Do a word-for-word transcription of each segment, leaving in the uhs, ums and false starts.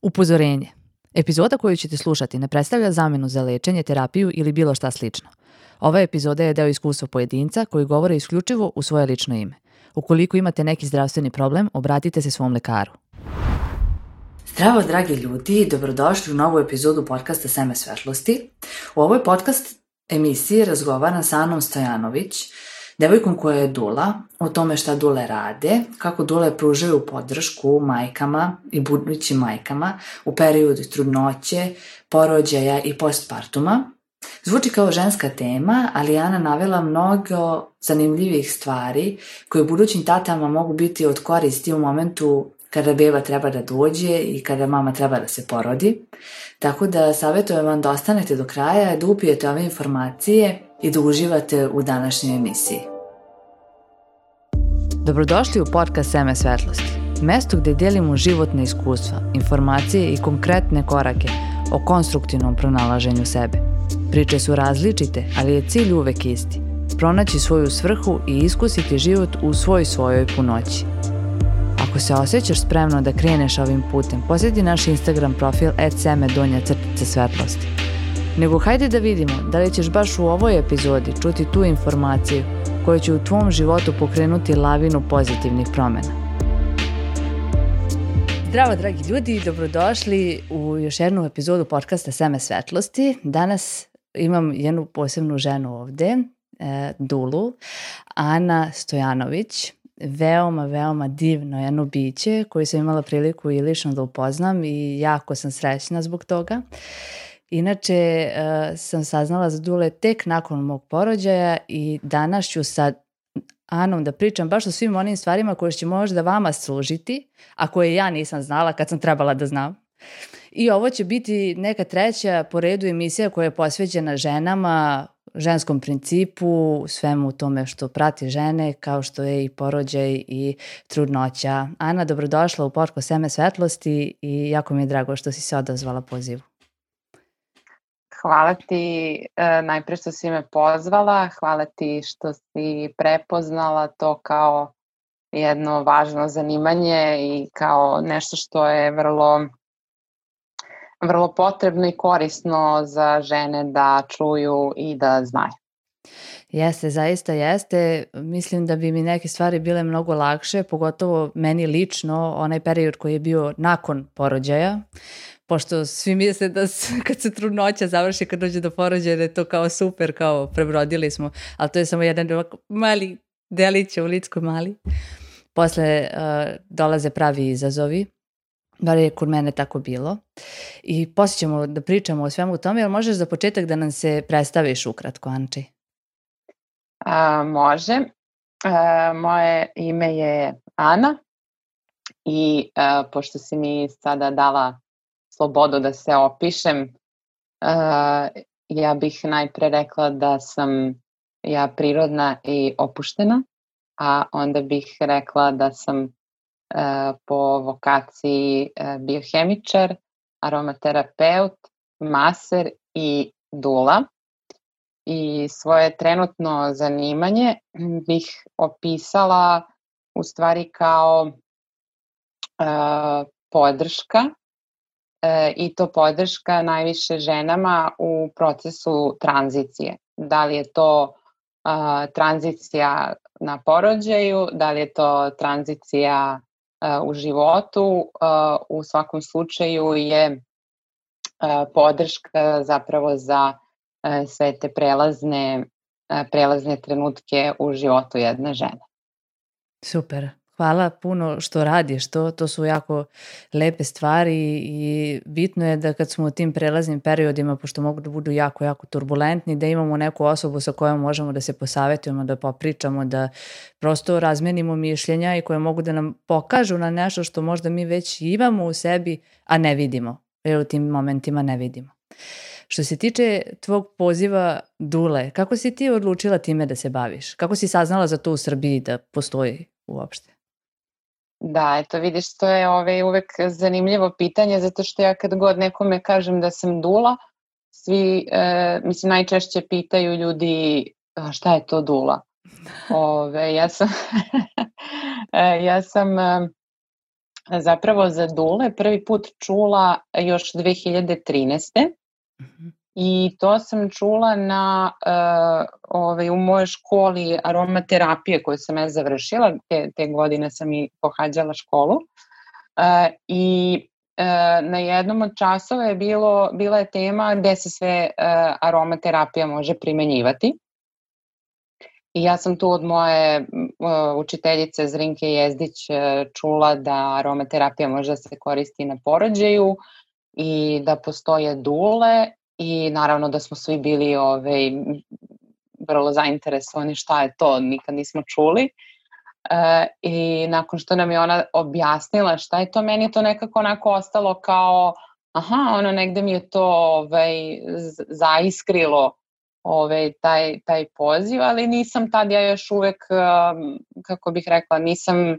Upozorenje. Epizoda koju ćete slušati ne predstavlja zamenu za lečenje, terapiju ili bilo šta slično. Ova epizoda je deo iskustva pojedinca koji govore isključivo u svoje lično ime. Ukoliko imate neki zdravstveni problem, obratite se svom lekaru. Zdravo, dragi ljudi, dobrodošli u novu epizodu podcasta Seme svetlosti. U ovoj podcast emisiji razgovaram sa Anom Stojanović, devojkom koja je dula, o tome šta dule rade, kako dule pružaju podršku majkama i budućim majkama u periodu trudnoće, porođaja i postpartuma. Zvuči kao ženska tema, ali Ana navela mnogo zanimljivih stvari koje budućim tatama mogu biti od koristi u momentu kada beba treba da dođe i kada mama treba da se porodi. Tako da savjetujem vam da ostanete do kraja, da upijete ove informacije i da uživate u današnjoj emisiji. Dobrodošli u podcast Seme svetlosti, mesto gde delimo životne iskustva, informacije i konkretne korake o konstruktivnom pronalaženju sebe. Priče su različite, ali je cilj uvek isti. Pronaći svoju svrhu i iskusiti život u svoj svojoj punoći. Ako se osjećaš spremno da kreneš ovim putem, posjeti naš Instagram profil et seme donja crtica svetlosti. Nego hajde da vidimo da li ćeš baš u ovoj epizodi čuti tu informaciju koja će u tvom životu pokrenuti lavinu pozitivnih promjena. Zdravo, dragi ljudi, dobrodošli u još jednu epizodu podcasta Seme svetlosti. Danas imam jednu posebnu ženu ovde, e, Dulu, Ana Stojanović. Veoma, veoma divno jedno biće koje sam imala priliku i lično da upoznam i jako sam srećna zbog toga. Inače, uh, sam saznala za Dule tek nakon mog porođaja i danas ću sa Anom da pričam baš o svim onim stvarima koje će možda vama služiti, a koje ja nisam znala kad sam trebala da znam. I ovo će biti neka treća po redu emisija koja je posvećena ženama, ženskom principu, svemu tome što prati žene, kao što je i porođaj i trudnoća. Ana, dobrodošla u podcast Seme svetlosti i jako mi je drago što si se odazvala pozivu. Hvala ti e, najpre što si me pozvala, hvala ti što si prepoznala to kao jedno važno zanimanje i kao nešto što je vrlo, vrlo potrebno i korisno za žene da čuju i da znaju. Jeste, zaista jeste. Mislim da bi mi neke stvari bile mnogo lakše, pogotovo meni lično, onaj period koji je bio nakon porođaja, pošto svi misle da kad se trudnoća završi, kad dođe do porođaja, da je to kao super, kao prebrodili smo, ali to je samo jedan mali delić u Lickoj mali. Posle uh, dolaze pravi izazovi, bar je kod mene tako bilo. I poslije ćemo da pričamo o svemu tome, ali možeš za početak da nam se predstaviš ukratko, Anči? A, može. A, moje ime je Ana i a, pošto si mi sada dala slobodu da se opišem, a, ja bih najpre rekla da sam ja prirodna i opuštena, a onda bih rekla da sam a, po vokaciji a, biohemičar, aromaterapeut, maser i dula. I svoje trenutno zanimanje bih opisala u stvari kao uh, podrška uh, i to podrška najviše ženama u procesu tranzicije. Da li je to uh, tranzicija na porođaju, da li je to tranzicija uh, u životu, uh, u svakom slučaju je uh, podrška zapravo za sve te prelazne, prelazne trenutke u životu jedne žene. Super. Hvala puno što radiš to. To su jako lepe stvari i bitno je da kad smo u tim prelaznim periodima, pošto mogu da budu jako, jako turbulentni, da imamo neku osobu sa kojom možemo da se posavetujemo, da popričamo, da prosto razmenimo mišljenja i koje mogu da nam pokažu na nešto što možda mi već imamo u sebi, a ne vidimo. Jer u tim momentima ne vidimo. Što se tiče tvog poziva Dule, kako si ti odlučila time da se baviš? Kako si saznala za to u Srbiji da postoji uopšte? Da, eto vidiš, to je ovaj uvek zanimljivo pitanje, zato što ja kad god nekome kažem da sam dula, svi, e, mislim, najčešće pitaju ljudi šta je to dula. Ove, ja sam, ja sam zapravo za dule prvi put čula još dve hiljade trinaeste. Mhm. I to sam čula na, uh, ovaj, u mojoj školi aromaterapije koju sam ja završila, te, te godine sam i pohađala školu. Uh, I uh, na jednom od časova je bilo, bila je tema gde se sve uh, aromaterapija može primenjivati. I ja sam tu od moje uh, učiteljice Zrinke Jezdić uh, čula da aromaterapija može da se koristi na porođaju i da postoje dule i naravno da smo svi bili ovaj, vrlo zainteresovani šta je to, nikad nismo čuli. Uh, I nakon što nam je ona objasnila šta je to, meni je to nekako onako ostalo kao aha, ono negde mi je to ovaj, zaiskrilo ovaj, taj, taj poziv, ali nisam tad ja još uvek, um, kako bih rekla, nisam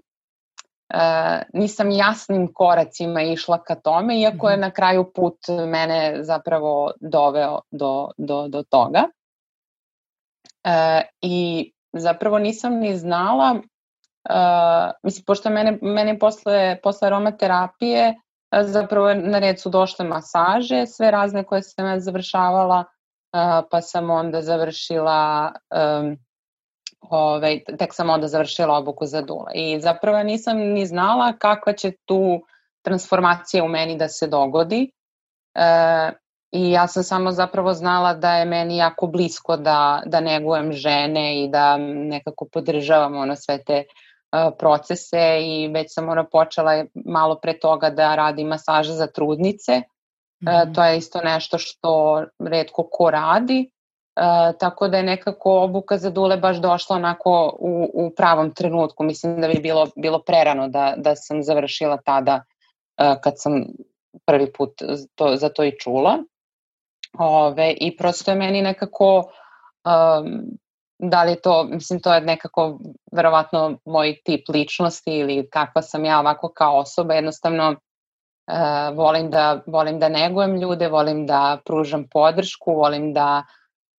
Uh, nisam jasnim koracima išla ka tome, iako je na kraju put mene zapravo doveo do, do, do toga. Uh, I zapravo nisam ni znala, uh, mislim, pošto mene, mene posle, posle aromaterapije uh, zapravo na red su došle masaže, sve razne koje sam ja završavala, uh, pa sam onda završila um, Ove, tek sam onda završila obuku za dule. I zapravo nisam ni znala kakva će tu transformacija u meni da se dogodi. E, I ja sam samo zapravo znala da je meni jako blisko da, da negujem žene i da nekako podržavam ono sve te uh, procese i već sam ona počela malo pre toga da radim masaže za trudnice. Mm-hmm. E, to je isto nešto što retko ko radi. Uh, tako da je nekako obuka za dule baš došla onako u, u pravom trenutku. Mislim da bi bilo, bilo prerano da, da sam završila tada uh, kad sam prvi put to, za to i čula. Ove, I prosto je meni nekako, um, da li je to, mislim to je nekako verovatno moj tip ličnosti ili kakva sam ja ovako kao osoba, jednostavno uh, volim, da, volim da negujem ljude, volim da pružam podršku, volim da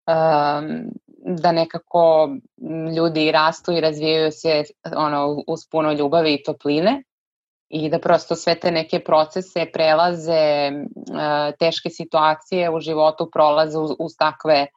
Um, da nekako ljudi rastu i razvijaju se ono, uz puno ljubavi i topline i da prosto sve te neke procese, prelaze, uh, teške situacije u životu prolaze uz, uz takve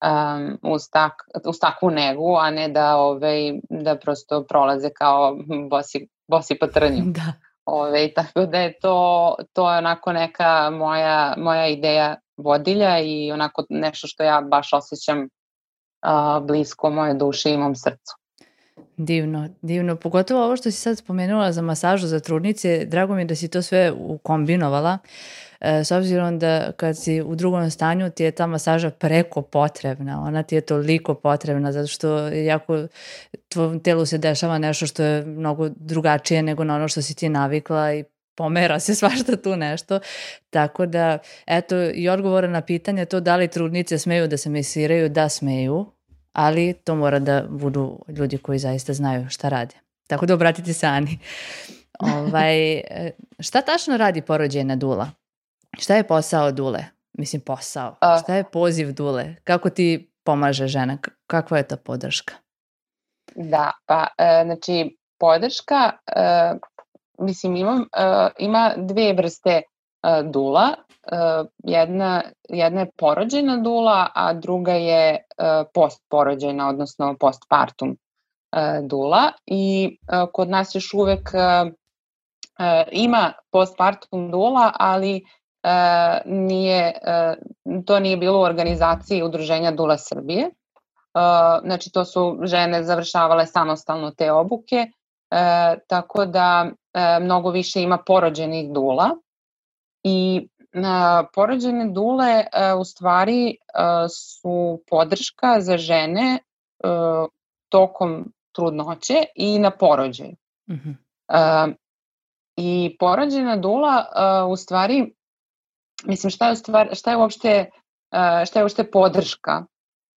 um, uz, tak, uz takvu negu, a ne da, ovaj, da prosto prolaze kao bosi, bosi po trnju. Da. Ove, tako da je to, to je onako neka moja, moja ideja vodilja i onako nešto što ja baš osjećam uh, blisko moje duše i mom srcu. Divno, divno. Pogotovo ovo što si sad spomenula za masažu za trudnice, drago mi je da si to sve ukombinovala, e, s obzirom da kad si u drugom stanju ti je ta masaža preko potrebna, ona ti je toliko potrebna zato što jako tvojom telu se dešava nešto što je mnogo drugačije nego na ono što si ti navikla i pomera se svašta tu nešto, tako da eto i odgovora na pitanje to da li trudnice smeju da se mesiraju, da smeju, ali to mora da budu ljudi koji zaista znaju šta rade. Tako da obratite se Ani. Ovaj, šta tačno radi porođajna dula? Šta je posao dule? Mislim posao. Šta je poziv dule? Kako ti pomaže žena? Kakva je ta podrška? Da, pa e, znači podrška, e, mislim imam, e, ima dve vrste e, dula. Uh, jedna, jedna je porođajna dula, a druga je uh, postporođajna, odnosno postpartum uh, dula. I uh, kod nas još uvek uh, uh, ima postpartum dula, ali uh, nije, uh, to nije bilo u organizaciji Udruženja Dula Srbije. Uh, znači to su žene završavale samostalno te obuke, uh, tako da uh, mnogo više ima porođenih dula. I Na porođajne dule uh, u stvari uh, su podrška za žene uh, tokom trudnoće i na porođaju. Mm-hmm. Uh, I porođajna dula uh, u stvari, mislim šta je, u stvari, šta je uopšte uh, šta je uopšte podrška?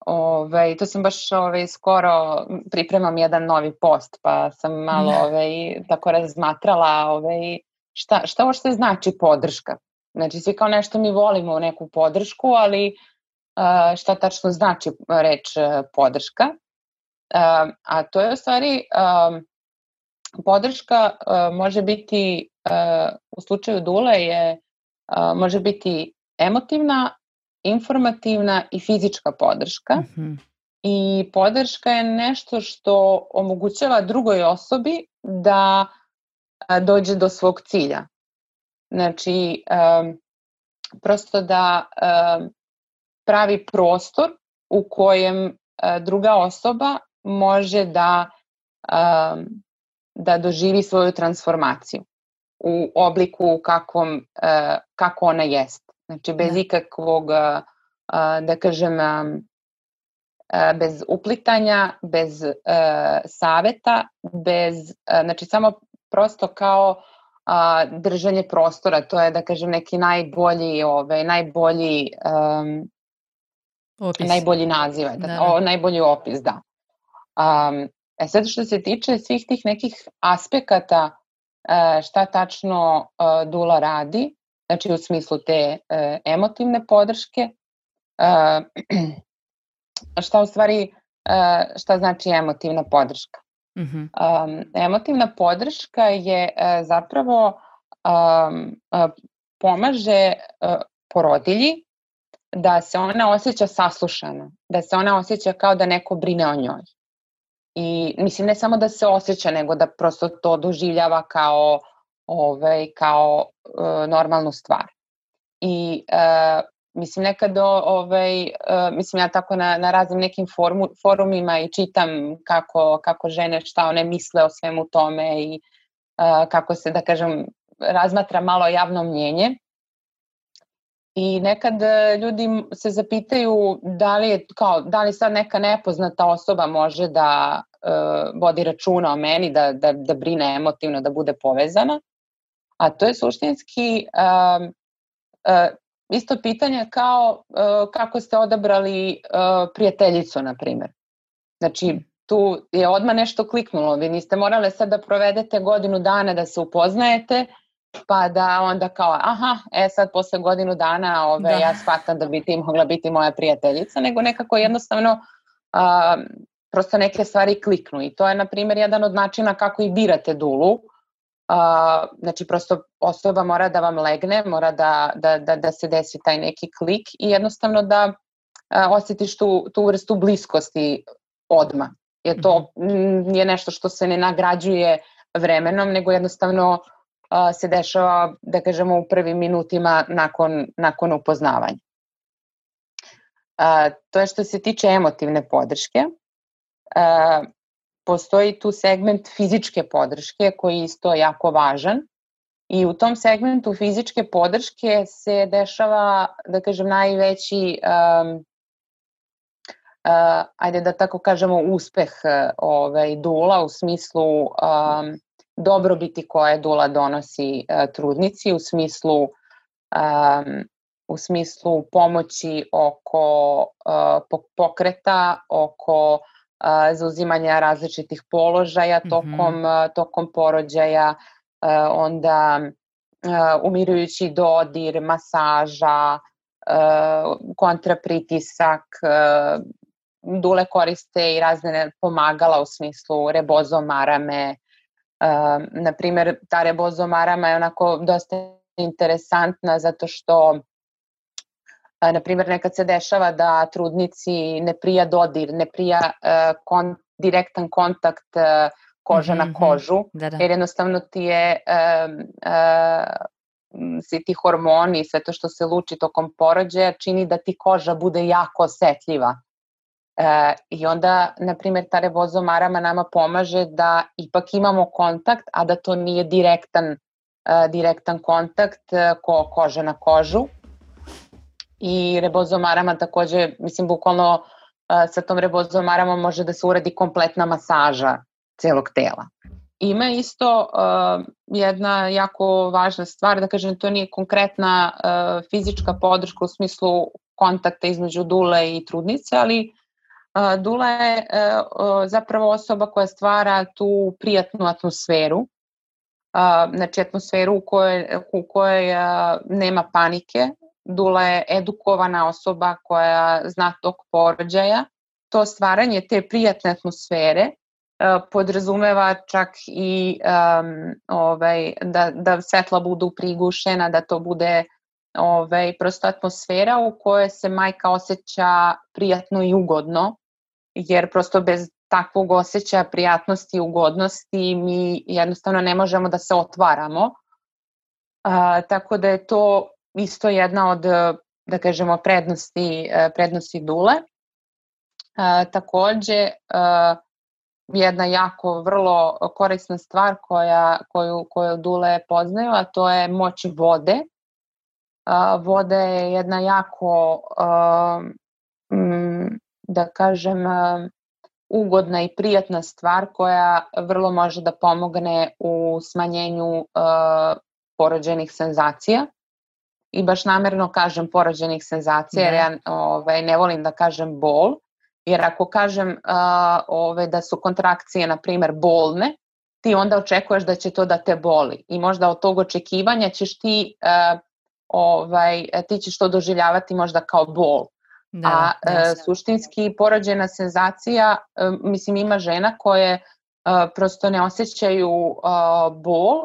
Ove, to sam baš ove, skoro pripremam jedan novi post, pa sam malo ove, tako razmatrala ove, šta, šta uopšte znači podrška. Znači, svi kao nešto mi volimo neku podršku, ali uh, šta tačno znači reč uh, podrška. Uh, a to je u stvari, uh, podrška uh, može biti, uh, u slučaju dule je, uh, može biti emotivna, informativna i fizička podrška. Mhm. I podrška je nešto što omogućava drugoj osobi da a, dođe do svog cilja. Znači, um, prosto da um, pravi prostor u kojem uh, druga osoba može da, um, da doživi svoju transformaciju u obliku kakvom, uh, kako ona jest. Znači, bez Da. ikakvog, uh, uh, da kažem, um, uh, bez uplitanja, bez uh, saveta, bez, uh, znači samo prosto kao a, držanje prostora, to je da kažem neki najbolji, ovaj, najbolji, um, Opis. najbolji naziv, da, Da, da. o, najbolji opis, da. Um, e sad što se tiče svih tih nekih aspekata uh, šta tačno uh, dula radi, znači u smislu te uh, emotivne podrške, uh, šta u stvari, uh, šta znači emotivna podrška? Mhm. Um, emotivna podrška je uh, zapravo um, uh, pomaže uh, porodilji da se ona osjeća saslušana, da se ona osjeća kao da neko brine o njoj. I mislim ne samo da se osjeća, nego da prosto to doživljava kao, ovaj, kao uh, normalnu stvar. I uh, mislim nekad ovaj, uh, mislim ja tako na, na raznim nekim formu, forumima i čitam kako, kako žene šta one misle o svemu tome i uh, kako se da kažem razmatra malo javno mnjenje. I nekad ljudi se zapitaju da li je kao, da li sad neka nepoznata osoba može da uh, vodi računa o meni, da, da, da brine emotivno, da bude povezana. A to je suštinski uh, uh, isto pitanje kao uh, kako ste odabrali uh, prijateljicu, na primjer. Znači, tu je odmah nešto kliknulo. Vi niste morali sad da provedete godinu dana da se upoznajete, pa da onda kao, aha, e sad posle godinu dana ove, Da. ja shvatam da bi ti mogla biti moja prijateljica, nego nekako jednostavno uh, prosto neke stvari kliknu. I to je, na primjer, jedan od načina kako i birate dulu. Uh, znači prosto osoba mora da vam legne, mora da, da, da, da se desi taj neki klik i jednostavno da uh, osjetiš tu, tu vrstu bliskosti odmah. Jer to mm, je nešto što se ne nagrađuje vremenom, nego jednostavno uh, se dešava, da kažemo, u prvim minutima nakon, nakon upoznavanja. Uh, to je što se tiče emotivne podrške. Uh, Postoji tu segment fizičke podrške koji je isto jako važan i u tom segmentu fizičke podrške se dešava, da kažem, najveći, um, uh, ajde da tako kažemo, uspeh uh, ovaj, dula u smislu um, dobrobiti koje dula donosi uh, trudnici, u smislu, um, u smislu pomoći oko uh, pokreta, oko zauzimanja različitih položaja tokom, mm-hmm. tokom porođaja, onda umirujući dodir, masaža, kontrapritisak, dule koriste i razne pomagala u smislu rebozomarame. Naprimer, ta rebozomarama je onako dosta interesantna zato što na primjer, nekad se dešava da trudnici ne prija dodir, ne prija uh, kon, direktan kontakt uh, koža mm-hmm. na kožu, da, da. jer jednostavno ti je uh, uh, svi ti hormoni i sve to što se luči tokom porođaja čini da ti koža bude jako osetljiva. Uh, I onda, na primjer, ta rebozomarama nama pomaže da ipak imamo kontakt, a da to nije direktan, uh, direktan kontakt uh, ko koža na kožu. I rebozomarama takođe, mislim, bukvalno uh, sa tom rebozomarama može da se uradi kompletna masaža celog tela. Ima isto uh, jedna jako važna stvar, da kažem, to nije konkretna uh, fizička podrška u smislu kontakta između dule i trudnice, ali uh, dula je uh, zapravo osoba koja stvara tu prijatnu atmosferu, uh, znači atmosferu u kojoj, u kojoj uh, nema panike. Dula je edukovana osoba koja zna tok porođaja. To stvaranje te prijatne atmosfere podrazumeva čak i um, ovaj, da, da svetla budu prigušena, da to bude ovaj, prosto atmosfera u kojoj se majka osjeća prijatno i ugodno, jer prosto bez takvog osjećaja prijatnosti i ugodnosti mi jednostavno ne možemo da se otvaramo. A, tako da je to isto jedna od, da kažemo, prednosti, prednosti dule. A, takođe, a, jedna jako vrlo korisna stvar koja, koju, koju dule poznaju, a to je moć vode. A, voda je jedna jako, a, m, da kažem, a, ugodna i prijatna stvar koja vrlo može da pomogne u smanjenju uh, porođenih senzacija. I baš namerno kažem porođenih senzacija, jer ja ovaj, ne volim da kažem bol, jer ako kažem uh, ovaj, da su kontrakcije, na primer, bolne, ti onda očekuješ da će to da te boli. I možda od tog očekivanja ćeš ti, uh, ovaj, ti ćeš to doživljavati možda kao bol. Da, a e, suštinski porođena senzacija, e, mislim, ima žena koje e, prosto ne osjećaju e, bol,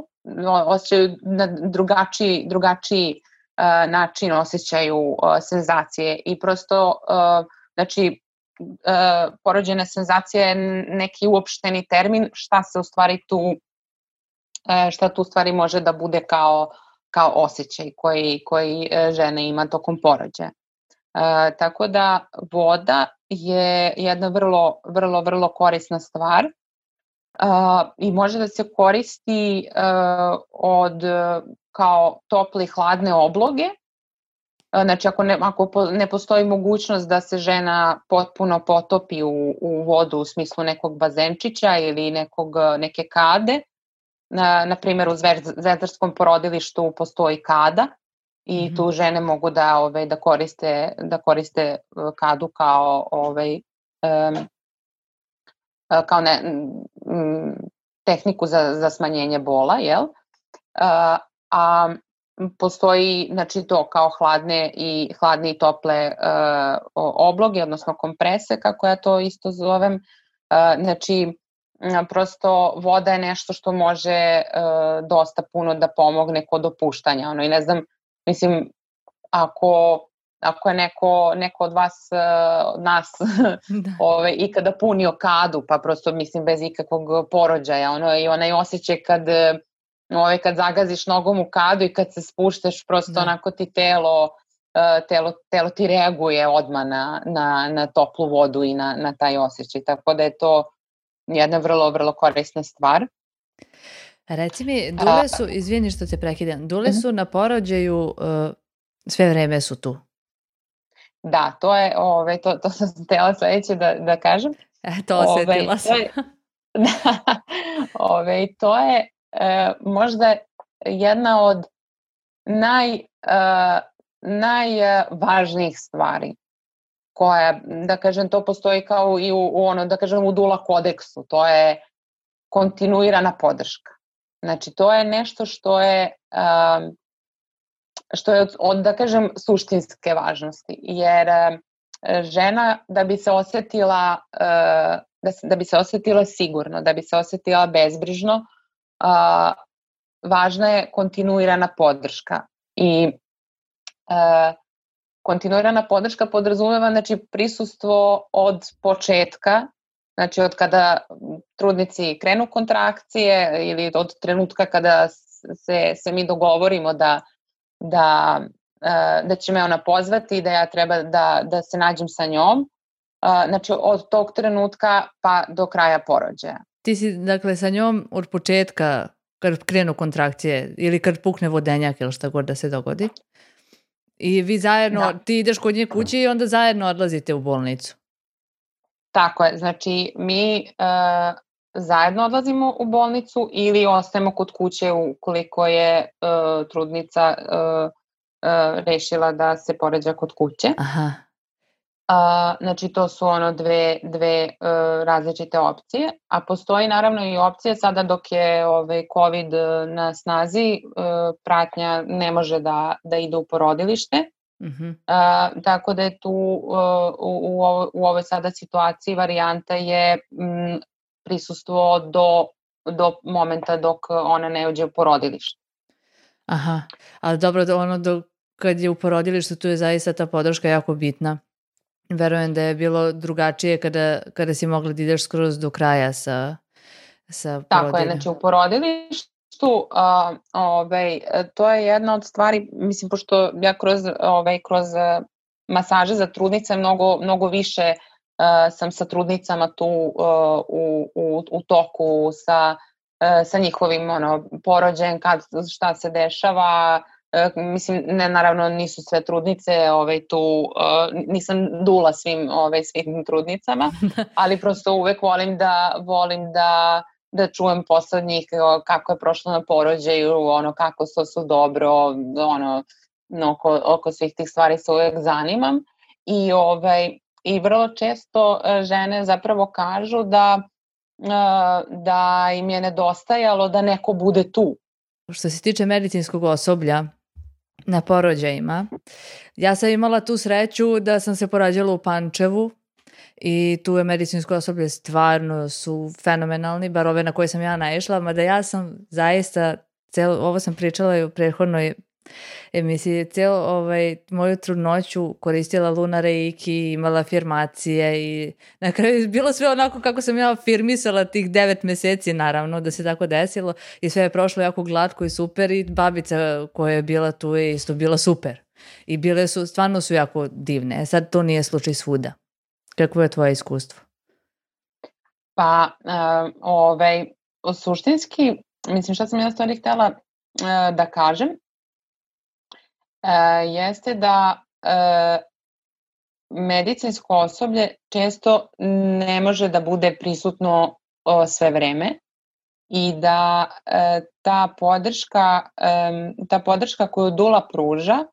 osjećaju na drugačiji, drugačiji e, način osjećaju e, senzacije i prosto, e, znači, e, porođena senzacija je neki uopšteni termin šta se u stvari tu, e, šta tu u stvari može da bude kao, kao osjećaj koji, koji žena ima tokom porođaja. Uh, tako da voda je jedna vrlo, vrlo, vrlo korisna stvar uh, i može da se koristi uh, od kao tople i hladne obloge. Uh, znači ako, ne, ako po, ne postoji mogućnost da se žena potpuno potopi u, u vodu u smislu nekog bazenčića ili nekog, neke kade, na, na primjer u zvezdarskom porodilištu postoji kada. I tu žene mogu da ovaj da koriste da koriste kadu kao ovaj um, kao ne, um, tehniku za za smanjenje bola, jel? Uh, a postoji, znači, to kao hladne i hladne i tople uh, obloge, odnosno komprese, kako ja to isto zovem. Uh, znači prosto voda je nešto što može uh, dosta puno da pomogne kod opuštanja, ono, i ne znam. Mislim, ako, ako je neko, neko od vas, od nas, ove, ikada punio kadu, pa prosto, mislim, bez ikakvog porođaja, ono, i onaj osjećaj kad, ove, kad zagaziš nogom u kadu i kad se spuštaš, prosto da. Onako ti telo, telo, telo ti reaguje odmah na, na, na toplu vodu i na, na taj osjećaj, tako da je to jedna vrlo, vrlo korisna stvar. Reci mi, dule su, izvini što te prekidam, dule su na porođaju, uh, sve vreme su tu? Da, to je, ove, to, to sam htjela sledeće da, da kažem. E, to osetila sam. Da, ove, to je e, možda jedna od naj, e, najvažnijih stvari koja, da kažem, to postoji kao i u, u ono, da kažem, u dula kodeksu, to je kontinuirana podrška. Znači, to je nešto što je, um, što je od, od, da kažem, suštinske važnosti, jer uh, žena da bi se osetila, uh, da, da bi se osetila sigurno, da bi se osetila bezbrižno, uh, važna je kontinuirana podrška. I uh, kontinuirana podrška podrazumeva, znači, prisustvo od početka, znači od kada trudnici krenu kontrakcije ili od trenutka kada se, se mi dogovorimo da, da, da će me ona pozvati i da ja treba da, da se nađem sa njom. Znači od tog trenutka pa do kraja porođaja. Ti si dakle sa njom od početka kad krenu kontrakcije ili kad pukne vodenjak ili šta god da se dogodi. I vi zajedno, da. Ti ideš kod nje kući i onda zajedno odlazite u bolnicu. Tako je, znači mi uh, zajedno odlazimo u bolnicu ili ostajemo kod kuće ukoliko je uh, trudnica uh, uh, rešila da se poređa kod kuće. Aha. Uh, znači to su ono dve, dve uh, različite opcije, a postoji naravno i opcija sada dok je ovaj, COVID na snazi, uh, pratnja ne može da, da ide u porodilište. Uh-huh. Uh, tako da je tu uh, u, u, ovo, u ovoj sada situaciji varijanta je m, prisustvo do, do momenta dok ona ne uđe u porodilište. Aha, ali dobro, ono do, kad je u porodilištu, tu je zaista ta podrška jako bitna. Verujem da je bilo drugačije kada, kada si mogla da ideš skroz do kraja sa, sa porodiljom. Tako je, znači u porodilištu a, ovaj, to je jedna od stvari, mislim, pošto ja kroz, ovaj, kroz masaže za trudnice mnogo, mnogo više uh, sam sa trudnicama tu uh, u, u, u toku sa, uh, sa njihovim ono, porođajem, kad, šta se dešava. Uh, mislim, ne, naravno nisu sve trudnice ovaj, tu, uh, nisam dula svim, ovaj, svim trudnicama, ali prosto uvek volim da, volim da, da čujem posle njih kako je prošlo na porođaju, ono, kako su, su dobro, ono, oko, oko svih tih stvari se uvek zanimam i, ovaj, i vrlo često žene zapravo kažu da, da im je nedostajalo da neko bude tu. Što se tiče medicinskog osoblja na porođajima, ja sam imala tu sreću da sam se porađala u Pančevu i tu je medicinsko osoblje stvarno su fenomenalni, bar ove na koje sam ja naišla, mada ja sam zaista, celo, ovo sam pričala i u prethodnoj emisiji, cijelu ovaj, moju trudnoću koristila Luna Reiki, imala afirmacije i na kraju je bilo sve onako kako sam ja afirmisala tih devet meseci, naravno da se tako desilo i sve je prošlo jako glatko i super i babica koja je bila tu je isto bila super i bile su, stvarno su jako divne. Sad to nije slučaj svuda. Kako je tvoje iskustvo? Pa, uh, ovaj, suštinski, mislim šta sam ja stvari htjela uh, da kažem, uh, jeste da uh, medicinsko osoblje često ne može da bude prisutno uh, sve vreme i da uh, ta podrška, um, ta podrška koju dula pruža uh,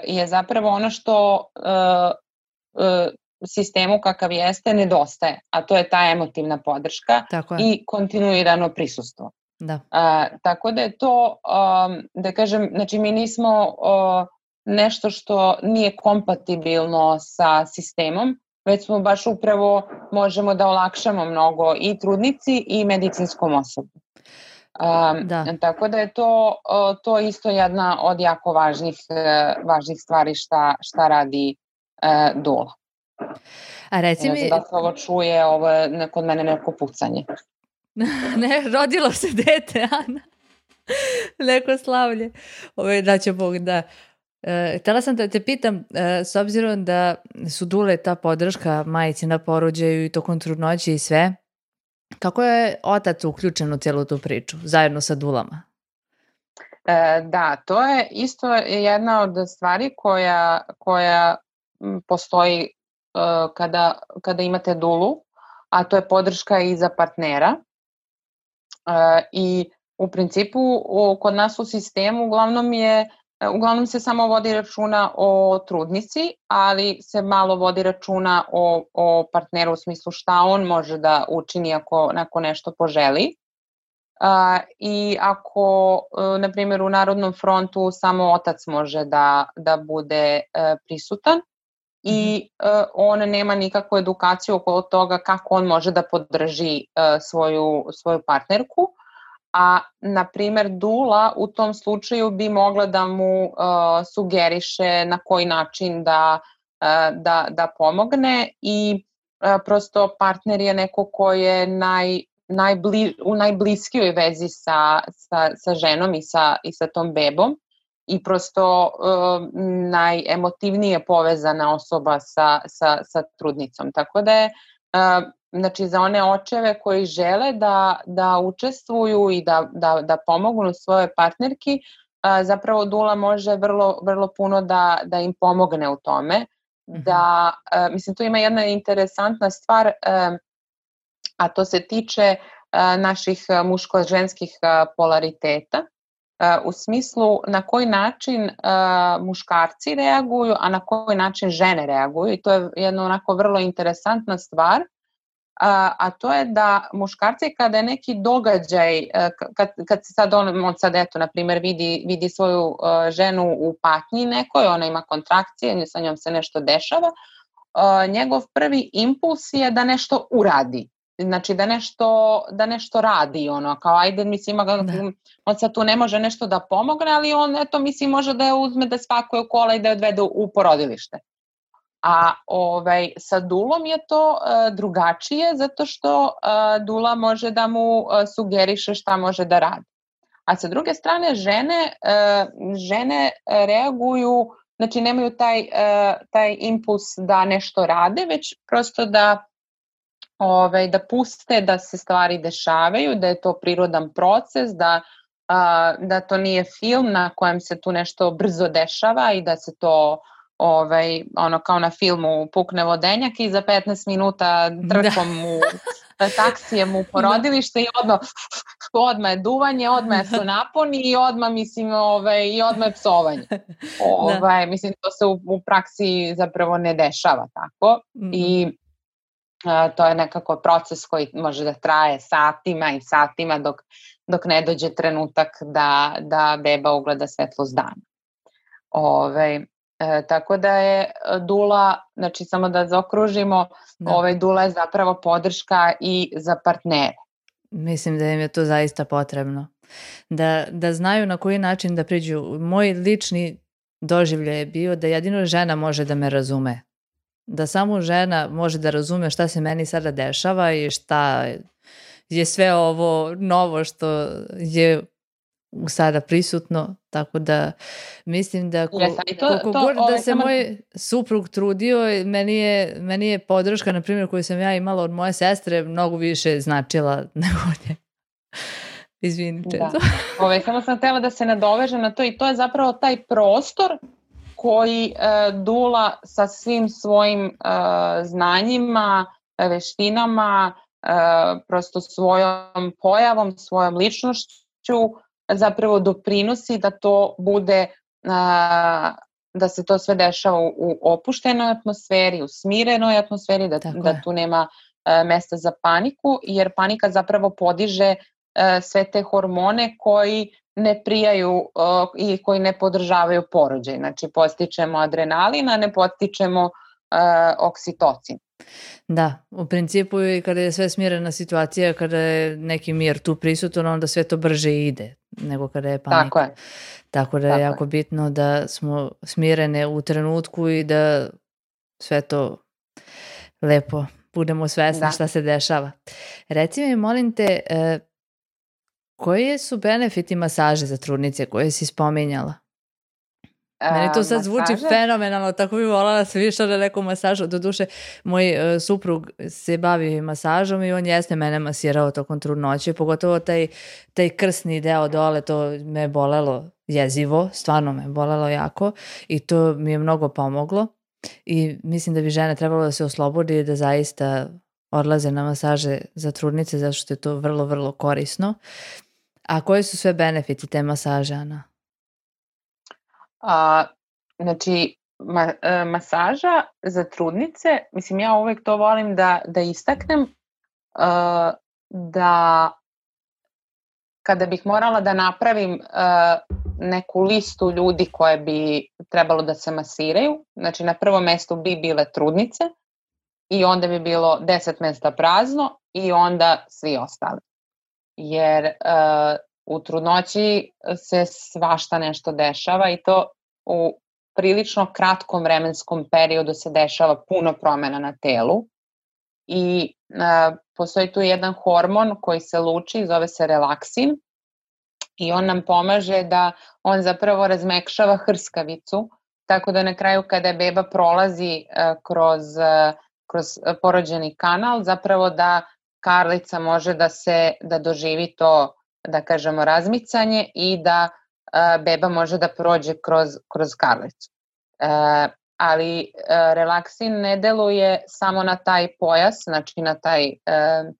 je zapravo ono što uh, uh, sistemu kakav jeste nedostaje, a to je ta emotivna podrška i kontinuirano prisustvo. Da. Uh, tako da je to, um, da kažem, znači mi nismo uh, nešto što nije kompatibilno sa sistemom, već smo baš upravo možemo da olakšamo mnogo i trudnici i medicinskom osoblju. Um, da. Tako da je to, uh, to isto jedna od jako važnih, uh, važnih stvari šta, šta radi uh, dula. A reci mi... Da se ovo čuje, ovo je kod mene neko pucanje. Ne, rodilo se dete, Ana. Neko slavlje. Ove, da će Bog, da. E, htjela sam da te pitam, e, s obzirom da su dule ta podrška majici na porođaju i tokom trudnoće i sve, kako je otac uključen u cijelu tu priču, zajedno sa dulama? E, da, to je isto jedna od stvari koja, koja postoji uh, kada, kada imate dulu, a to je podrška i za partnera. Uh, I u principu u, kod nas u sistemu uglavnom je uglavnom se samo vodi računa o trudnici, ali se malo vodi računa o, o partneru u smislu šta on može da učini ako, ako nešto poželi. Uh, I ako, uh, na primjer, u Narodnom frontu samo otac može da, da bude uh, prisutan i uh, on nema nikakvu edukaciju okolo toga kako on može da podrži uh, svoju, svoju partnerku, a na primjer dula u tom slučaju bi mogla da mu uh, sugeriše na koji način da, uh, da, da pomogne i uh, prosto partner je neko ko je naj, najbli, u najbliskijoj vezi sa, sa, sa ženom i sa, i sa tom bebom i prosto uh, najemotivnije povezana osoba sa, sa, sa trudnicom. Tako da je uh, znači za one očeve koji žele da, da učestvuju i da, da, da pomognu svojoj partnerki, a, zapravo dula može vrlo, vrlo puno da, da im pomogne u tome. Mm-hmm. Da, a, mislim, tu ima jedna interesantna stvar, a, a to se tiče a, naših muško-ženskih a, polariteta, a, u smislu na koji način a, muškarci reaguju, a na koji način žene reaguju. I to je jedna onako vrlo interesantna stvar. A, a to je da muškarci kada je neki događaj, kad, kad se sad on, on sad eto, na primjer, vidi, vidi svoju uh, ženu u patnji nekoj, ona ima kontrakcije, sa njom se nešto dešava, uh, njegov prvi impuls je da nešto uradi. znači da nešto, da nešto radi, ono, kao ajde, mislim, da. On sad tu ne može nešto da pomogne, ali on, eto, mislim, može da je uzme, da spakuje kola i da je odvede u porodilište. A ovaj, sa dulom je to uh, drugačije, zato što uh, dula može da mu uh, sugeriše šta može da radi. A sa druge strane, žene, uh, žene reaguju, znači nemaju taj, uh, taj impuls da nešto rade, već prosto da, ovaj, da puste da se stvari dešavaju, da je to prirodan proces, da, uh, da to nije film na kojem se tu nešto brzo dešava i da se to ovaj, ono kao na filmu pukne vodenjak i za petnaest minuta trkom u taksijem u porodilište i odmah, odmah je duvanje, odmah su naponi i odmah, mislim, ovaj, i odmah je psovanje. Ovaj, mislim, to se u, u praksi zapravo ne dešava tako. Mm-hmm. I a, to je nekako proces koji može da traje satima i satima dok, dok ne dođe trenutak da, da beba ugleda svetlost dana. Ovaj, E, tako da je dula, znači samo da zaokružimo, da. Ovaj, dula je zapravo podrška i za partnere. Mislim da im je to zaista potrebno. Da, da znaju na koji način da priđu. Moj lični doživljaj je bio da jedino žena može da me razume. Da samo žena može da razume šta se meni sada dešava i šta je sve ovo novo što je sada prisutno, tako da mislim da ko, yes, to, koliko to, god da se samo... moj suprug trudio, meni je, meni je podrška, na primjer, koju sam ja imala od moje sestre, mnogo više značila nego nje. Izvini, Čezo. Ove, samo sam htjela da se nadovežem na to i to je zapravo taj prostor koji e, dula sa svim svojim e, znanjima, veštinama, e, prosto svojom pojavom, svojom ličnošću zapravo doprinosi da to bude, a, da se to sve dešava u, u opuštenoj atmosferi, u smirenoj atmosferi, da, da tu nema a, mesta za paniku, jer panika zapravo podiže a, sve te hormone koji ne prijaju a, i koji ne podržavaju porođaj. Znači podstičemo adrenalin, a ne podstičemo a, oksitocin. Da, u principu i kada je sve smirena situacija, kada je neki mir tu prisutan, onda sve to brže ide nego kada je panika. Tako je. Tako da je Tako jako je. bitno da smo smirene u trenutku i da sve to lepo budemo svesni da. šta se dešava. Reci mi, molim te, eh, koji su benefiti masaže za trudnice koje si spominjala? Meni to sad zvuči masaže? fenomenalno, tako bi volala da se više na neku masažu. Doduše, moj uh, suprug se bavi masažom i on jeste mene masirao tokom trudnoće, pogotovo taj, taj krsni deo dole, to me je bolelo jezivo, stvarno me je bolelo jako i to mi je mnogo pomoglo i mislim da bi žene trebalo da se oslobodi i da zaista odlaze na masaže za trudnice, zato što je to vrlo, vrlo korisno. A koji su sve benefiti te masaže, Ana? A, znači, ma, e, masaža za trudnice, mislim ja uvek to volim da, da istaknem, e, da kada bih morala da napravim e, neku listu ljudi koje bi trebalo da se masiraju, znači na prvom mestu bi bile trudnice i onda bi bilo deset mesta prazno i onda svi ostali. Jer e, u trudnoći se svašta nešto dešava i to u prilično kratkom vremenskom periodu se dešava puno promjena na telu i e, postoji tu jedan hormon koji se luči, zove se relaksin i on nam pomaže da on zapravo razmekšava hrskavicu, tako da na kraju kada je beba prolazi e, kroz, e, kroz porođeni kanal, zapravo da karlica može da se da doživi to, da kažemo, razmicanje i da uh, beba može da prođe kroz, kroz karlicu. Uh, ali uh, relaksin ne deluje samo na taj pojas, znači na taj uh,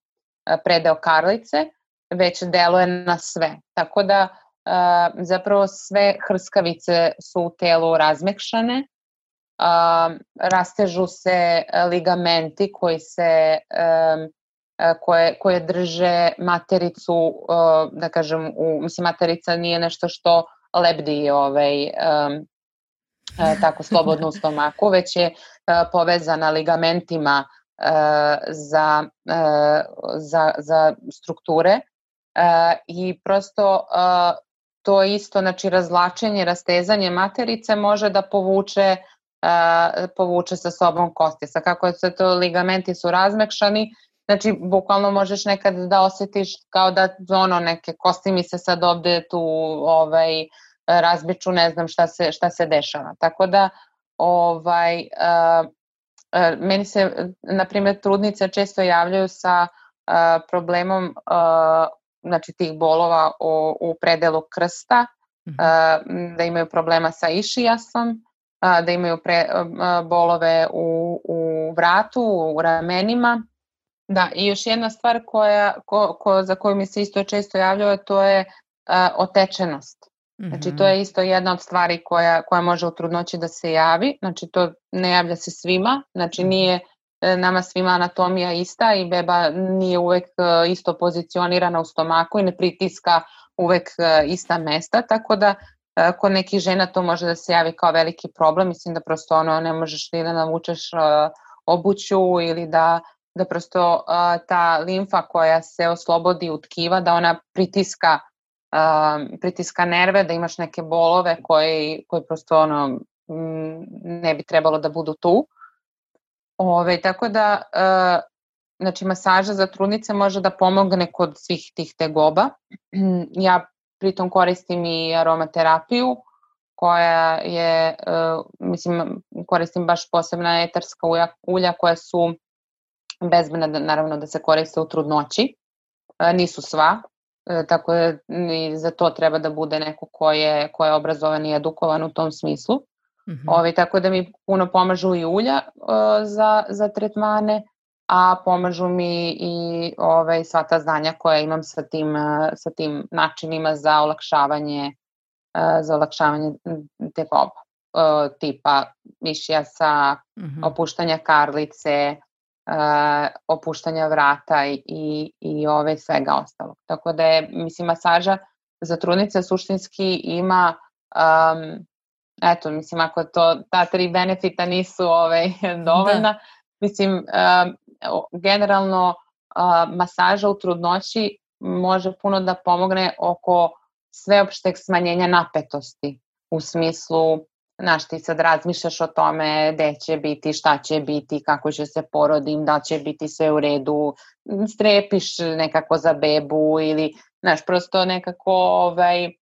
predeo karlice, već deluje na sve. Tako da uh, zapravo sve hrskavice su u telu razmekšane, uh, rastežu se ligamenti koji se um, Koje, koje drže matericu, da kažem, u, mislim, materica nije nešto što lebdi ovaj, um, tako slobodno u stomaku, već je uh, povezana ligamentima za, za, za strukture i prosto to isto, znači razvlačenje, rastezanje materice može da povuče, povuče sa sobom kosti. Sa kako se to ligamenti su razmekšani, znači bukvalno možeš nekad da osjetiš kao da ono neke kosti mi se sad ovde tu ovaj, razbiču, ne znam šta se, šta se dešava. Tako da ovaj, uh, uh, meni se, na primjer, trudnice često javljaju sa uh, problemom uh, znači tih bolova u, u predelu krsta, uh, da imaju problema sa išijasom, uh, da imaju pre, uh, bolove u, u vratu, u ramenima. Da, i još jedna stvar koja, ko, ko, za koju mi se isto često javljaju, to je uh, otečenost. Znači to je isto jedna od stvari koja, koja može u trudnoći da se javi, znači to ne javlja se svima, znači nije nama svima anatomija ista i beba nije uvek isto pozicionirana u stomaku i ne pritiska uvek ista mesta, tako da kod nekih žena to može da se javi kao veliki problem, mislim da prosto ono ne možeš ni da navučeš obuću ili da, da prosto ta limfa koja se oslobodi u tkiva, da ona pritiska Uh, pritiska nerve, da imaš neke bolove koji, koji prosto ono, m, ne bi trebalo da budu tu. Ove, tako da, uh, znači masaža za trudnice može da pomogne kod svih tih tegoba. Ja pritom koristim i aromaterapiju koja je, uh, mislim, koristim baš posebna etarska ulja, ulja koja su bezbedna, da, naravno da se koriste u trudnoći. Uh, nisu sva. E, tako da i za to treba da bude neko ko je, ko je obrazovan i edukovan u tom smislu. Mm-hmm. Ove, tako da mi puno pomažu i ulja e, za, za tretmane, a pomažu mi i ove, sva ta znanja koja imam sa tim, sa tim načinima za olakšavanje, e, za olakšavanje tegoba. E, tipa išijasa, mm-hmm. opuštanja karlice, Uh, opuštanja vrata i, i, i ove svega ostalog. Tako da je, mislim, masaža za trudnice suštinski ima, um, eto, mislim, ako to, ta tri benefita nisu ove, dovoljna, da. Mislim, um, generalno uh, masaža u trudnoći može puno da pomogne oko sveopšteg smanjenja napetosti, u smislu znaš, ti sad razmišljaš o tome gde će biti, šta će biti, kako će se porodim, da će biti sve u redu, strepiš nekako za bebu ili, znaš, prosto nekako, ovaj, uh,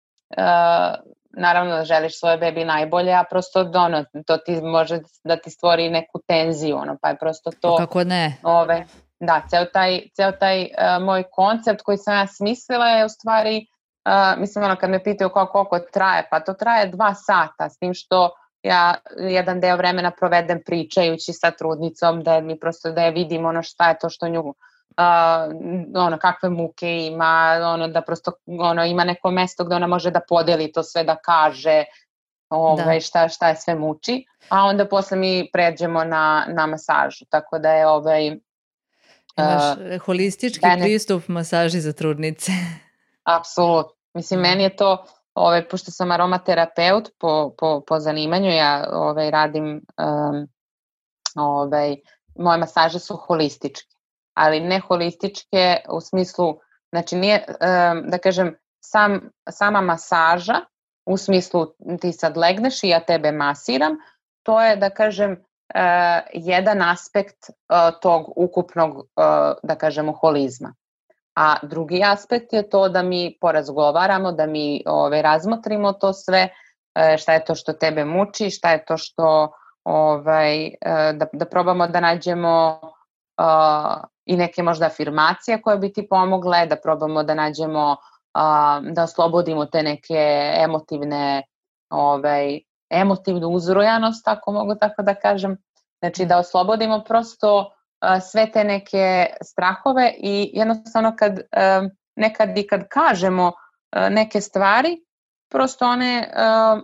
naravno da želiš svoje bebi najbolje, a prosto ono, to ti može da ti stvori neku tenziju, ono, pa je prosto to... Kako ne? Ove, da, ceo taj, ceo taj uh, moj koncept koji sam ja smislila je u stvari... Uh, mislim, ono, kad me pitaju kao koliko traje, pa to traje dva sata, s tim što ja jedan deo vremena provedem pričajući sa trudnicom, da mi prosto da je vidim ono šta je to što nju, uh, ono, kakve muke ima, ono, da prosto ono, ima neko mesto gde ona može da podeli to sve, da kaže ovaj, da. šta, šta je sve muči, a onda posle mi pređemo na, na masažu, tako da je ovaj... Imaš uh, holistički bene... pristup masaži za trudnice. Apsolutno. Mislim, meni je to, ovaj, pošto sam aromaterapeut po, po, po zanimanju, ja ovaj, radim, um, ovaj, moje masaže su holističke, ali ne holističke u smislu, znači nije, um, da kažem, sam, sama masaža, u smislu ti sad legneš i ja tebe masiram, to je, da kažem, uh, jedan aspekt uh, tog ukupnog, uh, da kažemo, holizma. A drugi aspekt je to da mi porazgovaramo, da mi ove, razmotrimo to sve, šta je to što tebe muči, šta je to što, ovaj, da, da probamo da nađemo uh, i neke možda afirmacije koje bi ti pomogle, da probamo da nađemo, uh, da oslobodimo te neke emotivne, ovaj, emotivnu uzrujanost, ako mogu tako da kažem. Znači da oslobodimo prosto sve te neke strahove i jednostavno kad um, nekad i kad kažemo uh, neke stvari, prosto one uh,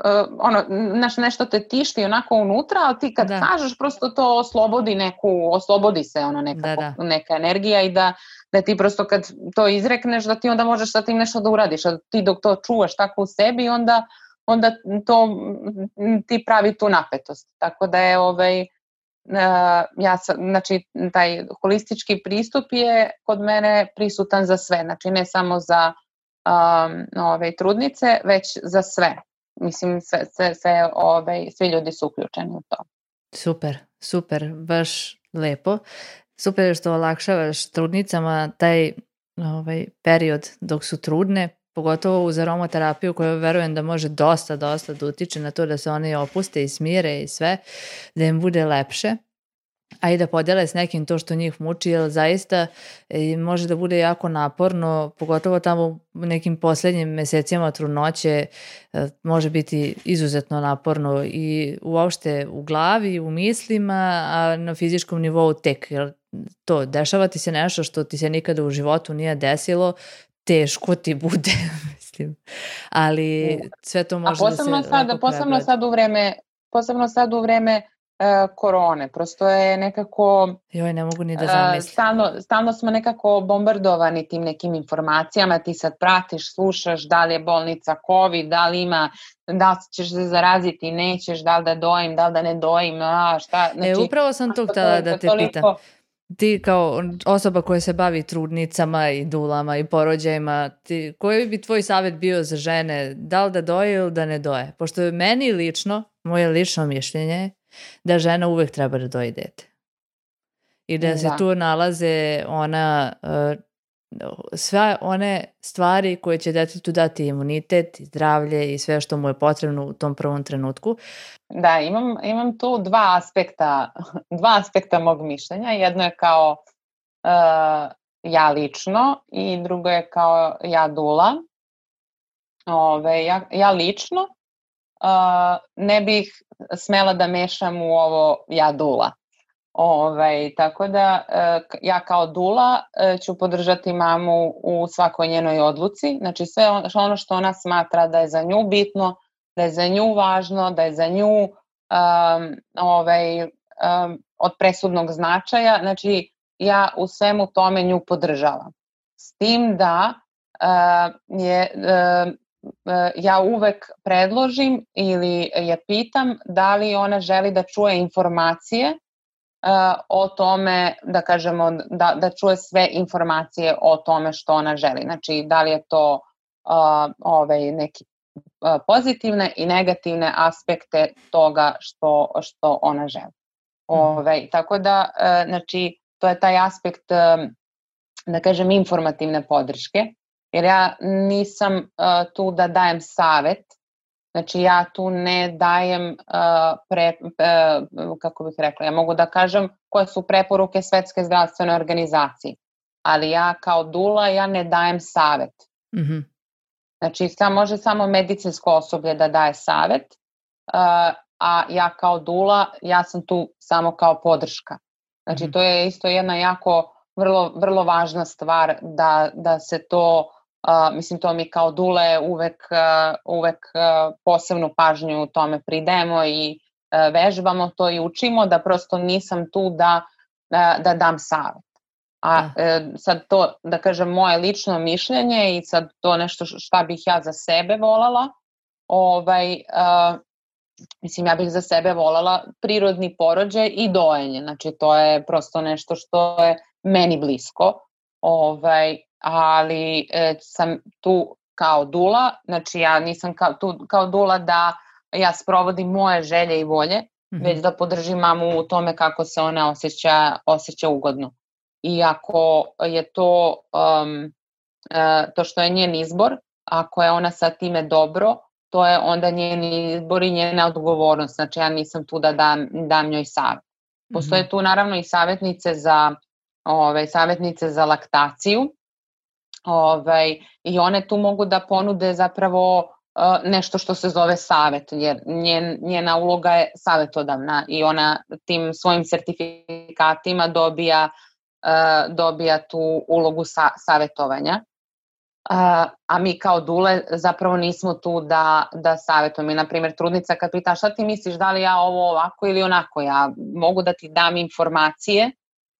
uh, ono, naš, nešto te tišti onako unutra, ali ti kad da. kažeš prosto to oslobodi neku, oslobodi se ono nekako, da, da. neka energija i da, da ti prosto kad to izrekneš da ti onda možeš sa tim nešto da uradiš, a ti dok to čuvaš tako u sebi onda, onda to ti pravi tu napetost, tako da je ovaj ja sam, znači taj holistički pristup je kod mene prisutan za sve, znači ne samo za um, ove trudnice, već za sve. Mislim, sve, sve, sve, ove, svi ljudi su uključeni u to. Super, super, baš lepo. Super je što olakšavaš trudnicama taj ovaj, period dok su trudne, pogotovo uz aromaterapiju koja verujem da može dosta, dosta da utiče na to da se oni opuste i smire i sve, da im bude lepše, a i da podele s nekim to što njih muči, jer zaista e, može da bude jako naporno, pogotovo tamo u nekim posljednjim mesecima trudnoće e, može biti izuzetno naporno i uopšte u glavi, u mislima, a na fizičkom nivou tek, jer to, dešava ti se nešto što ti se nikada u životu nije desilo, teško ti bude, mislim. Ali sve to može da se sad, lako posebno sad u vreme, posebno sad u vreme uh, korone, prosto je nekako Joj, ne mogu ni da zamislim. Uh, stalno, stalno smo nekako bombardovani tim nekim informacijama, ti sad pratiš, slušaš da li je bolnica COVID, da li ima, da li ćeš se zaraziti, nećeš, da li da dojim, da li da ne dojim, a šta. Znači, e, upravo sam to htjela da te toliko... pitam. Ti kao osoba koja se bavi trudnicama i dulama i porođajima, ti, koji bi tvoj savjet bio za žene, da li da doje ili da ne doje? Pošto je meni lično, moje lično mišljenje, da žena uvek treba da doji dete. I da, da. se tu nalaze ona, uh, sve one stvari koje će detetu dati imunitet, zdravlje i sve što mu je potrebno u tom prvom trenutku. Da, imam, imam tu dva aspekta, dva aspekta mog mišljenja. Jedno je kao uh, ja lično i drugo je kao ja dula. Ove, ja, ja lično uh, ne bih smela da mešam u ovo ja dula. Ove, tako da uh, ja kao dula uh, ću podržati mamu u svakoj njenoj odluci. Znači sve on, ono što ona smatra da je za nju bitno, da je za nju važno, da je za nju um, ovaj, um, od presudnog značaja. Znači, ja u svemu tome nju podržavam. S tim da uh, je, uh, uh, ja uvek predložim ili je pitam da li ona želi da čuje informacije uh, o tome, da kažemo, da, da čuje sve informacije o tome što ona želi. Znači, da li je to uh, ovaj, neki pozitivne i negativne aspekte toga što, što ona želi. Ove, tako da, znači, to je taj aspekt, da kažem, informativne podrške, jer ja nisam tu da dajem savet, znači ja tu ne dajem, pre, kako bih rekla, ja mogu da kažem koje su preporuke Svetske zdravstvene organizacije, ali ja kao dula, ja ne dajem savet. Mhm. Znači, sam može samo medicinsko osoblje da daje savet, uh, a ja kao dula, ja sam tu samo kao podrška. Znači, mm-hmm. to je isto jedna jako vrlo, vrlo važna stvar da, da se to, uh, mislim, to mi kao dule uvek, uh, uvek uh, posebnu pažnju u tome pridajemo i uh, vežbamo to i učimo, da prosto nisam tu da, uh, da dam savet. A e, sad to, da kažem, moje lično mišljenje i sad to nešto šta bih ja za sebe volala, ovaj, e, mislim, ja bih za sebe volala prirodni porođaj i dojenje, znači to je prosto nešto što je meni blisko, ovaj, ali e, sam tu kao dula, znači ja nisam kao, tu kao dula da ja sprovodim moje želje i volje, mm-hmm. već da podržim mamu u tome kako se ona osjeća, osjeća ugodno. I ako je to, um, uh, to što je njen izbor, ako je ona sa time dobro, to je onda njen izbor i njena odgovornost. Znači ja nisam tu da dam, dam njoj savjet. Postoje mm-hmm. tu naravno i savjetnice za, ove, savjetnice za laktaciju, ove, i one tu mogu da ponude zapravo uh, nešto što se zove savjet, jer njen, njena uloga je savjetodavna i ona tim svojim sertifikatima dobija dobija tu ulogu sa, savjetovanja. A, a mi kao dule zapravo nismo tu da, da savjetujemo. I, na primjer, trudnica kad pita šta ti misliš, da li ja ovo ovako ili onako, ja mogu da ti dam informacije,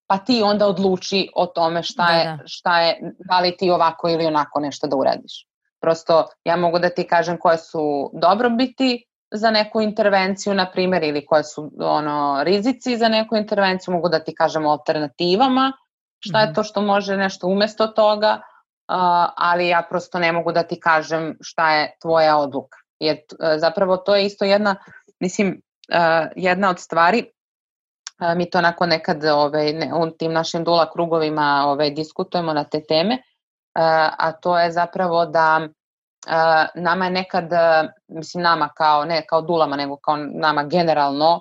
pa ti onda odluči o tome šta je, da, da. šta je, da li ti ovako ili onako nešto da uradiš. Prosto ja mogu da ti kažem koje su dobrobiti za neku intervenciju, na primjer, ili koje su ono, rizici za neku intervenciju, mogu da ti kažem o alternativama, šta je to što može nešto umesto toga, uh, ali ja prosto ne mogu da ti kažem šta je tvoja odluka. Jer uh, zapravo to je isto jedna, mislim, uh, jedna od stvari, uh, mi to onako nekad ovaj, ne, u tim našim dula krugovima ovaj, diskutujemo na te teme, uh, a to je zapravo da Uh, nama je nekad, uh, mislim nama kao, ne kao dulama, nego kao nama generalno,